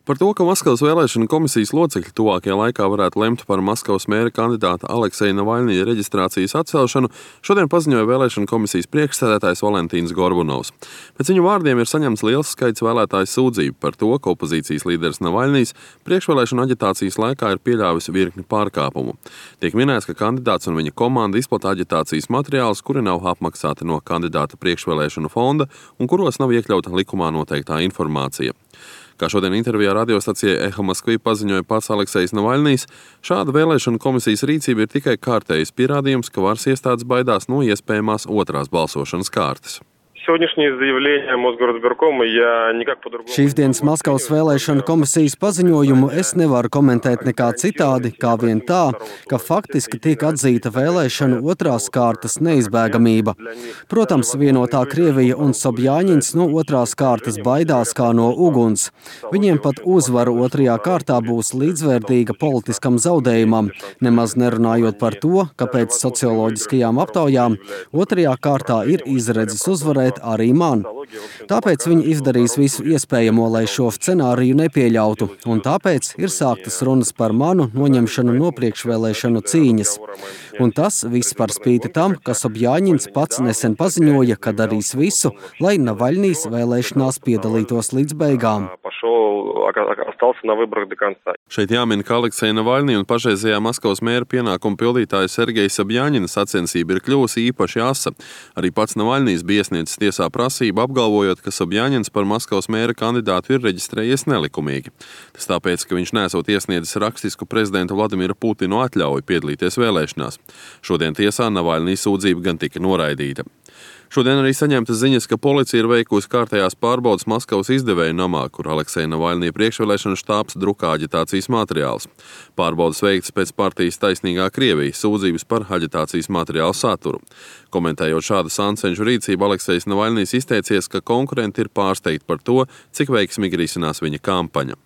Par to, ka Maskavas vēlēšanu komisijas locekļi tuvākajā laikā varētu lemt par Maskavas mēra kandidāta Alekseja Navaļņija reģistrācijas atcelšanu, šodien paziņoja vēlēšanu komisijas priekšsēdētājs Valentīns Gorbunovs. Pēc viņu vārdiem ir saņemts liels skaits vēlētāju sūdzību par to, ka opozīcijas līderis Navaļņijs priekšvēlēšanu aģitācijas laikā ir pieļāvis virkni pārkāpumu. Tiek minēts, ka kandidāts un viņa komanda izplata aģitācijas materiālus, kuri nav apmaksāti no kandidāta priekšvēlēšanu fonda un kuros nav iekļauta likumā noteiktā informācija. Kā šodien intervijā radiostacijai Eho Moskvi paziņoja pats Aleksejs Navaļņijs, šāda vēlēšanu komisijas rīcība ir tikai kārtējs pierādījums, ka varas iestādes baidās no iespējamās otrās balsošanas kārtas. Šīsdienas Maskavas vēlēšanu komisijas paziņojumu es nevaru komentēt nekā citādi, kā vien tā, ka faktiski tiek atzīta vēlēšanu otrās kārtas neizbēgamība. Protams, vienotā Krievija un Sobjaņins no otrās kārtas baidās kā no uguns. Viņiem pat uzvara otrajā kārtā būs līdzvērtīga politiskam zaudējumam, nemaz nerunājot par to, ka pēc socioloģiskajām aptaujām otrajā kārtā ir izredzes uzvarēt arī man. Tāpēc viņi izdarīs visu iespējamo, lai šo scenāriju nepieļautu, un tāpēc ir sāktas runas par manu noņemšanu no priekšvēlēšanu cīņas. Un tas viss par spīti tam, ka Sobjaņins pats nesen paziņoja, ka darīs visu, lai Navaļņijs vēlēšanās piedalītos līdz beigām. Šeit jāmin, ka Alekseja Navaļņija un pašreizējā Maskavas mēra pienākumu pildītāja Sergeja Sobjaņina sacensība ir kļuvusi īpaši asa. Arī pats Navaļņijs bija iesniedzis tiesā prasību, apgalvojot, ka Sobjaņins par Maskavas mēra kandidātu ir reģistrējies nelikumīgi. Tas tāpēc, ka viņš nesot iesniedzis rakstisku prezidenta Vladimira Putina atļauju piedalīties vēlēšanās. Šodien tiesā Navaļņija sūdzība gan tika noraidīta. Šodien arī saņemtas ziņas, ka policija ir veikusi kārtējās pārbaudas Maskavas izdevēju namā, kur Alekseja Navaļņija priekšvēlēšanu štābs drukā aģitācijas materiālus. Pārbaudas veikts pēc partijas Taisnīgā Krievija sūdzības par aģitācijas materiālu saturu. Komentējot šādu sancenšu rīcību, Aleksejs Navaļņijs izteicies, ka konkurenti ir pārsteigti par to, cik veiksmīgi risinās viņa kampaņa.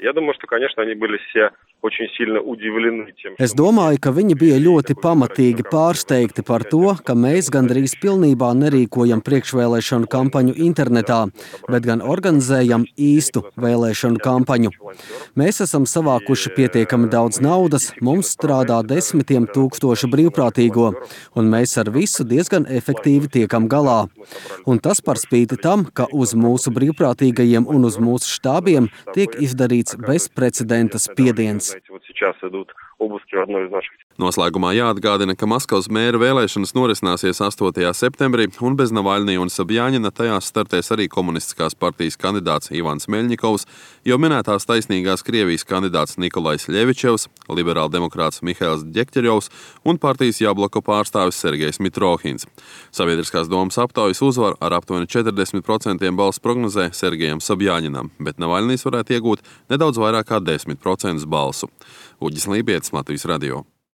Es domāju, ka viņi bija ļoti pamatīgi pārsteigti par to, ka mēs gandrīz pilnībā nerīkojam priekšvēlēšanu kampaņu internetā, bet gan organizējam īstu vēlēšanu kampaņu. Mēs esam savākuši pietiekami daudz naudas, mums strādā desmitiem tūkstošu brīvprātīgo, un mēs ar visu diezgan efektīvi tiekam galā. Un tas par spīti tam, ka uz mūsu brīvprātīgajiem un uz mūsu štābiem tiek izdarīts bezprecedenta spiediens. Noslēgumā jāatgādina, ka Maskavas mēra vēlēšanas norisināsies 8. septembrī, un bez Navaļņija un Sobjaņina tajās startēs arī komunistiskās partijas kandidāts Ivans Meļņikovs, jau minētās Taisnīgās Krievijas kandidāts Nikolajs Ļevičevs, liberāldemokrāts Mihails Ģekķerjovs un partijas Jabloko pārstāvis Sergejs Mitrohins. Sabiedriskās domas aptaujas uzvaru ar aptuveni 40% balsu prognozē Sergejam Sobjaņinam, bet Navaļņijs varētu iegūt nedaudz vairāk kā 10% balsu. Uģis Lībietis, Latvijas radio.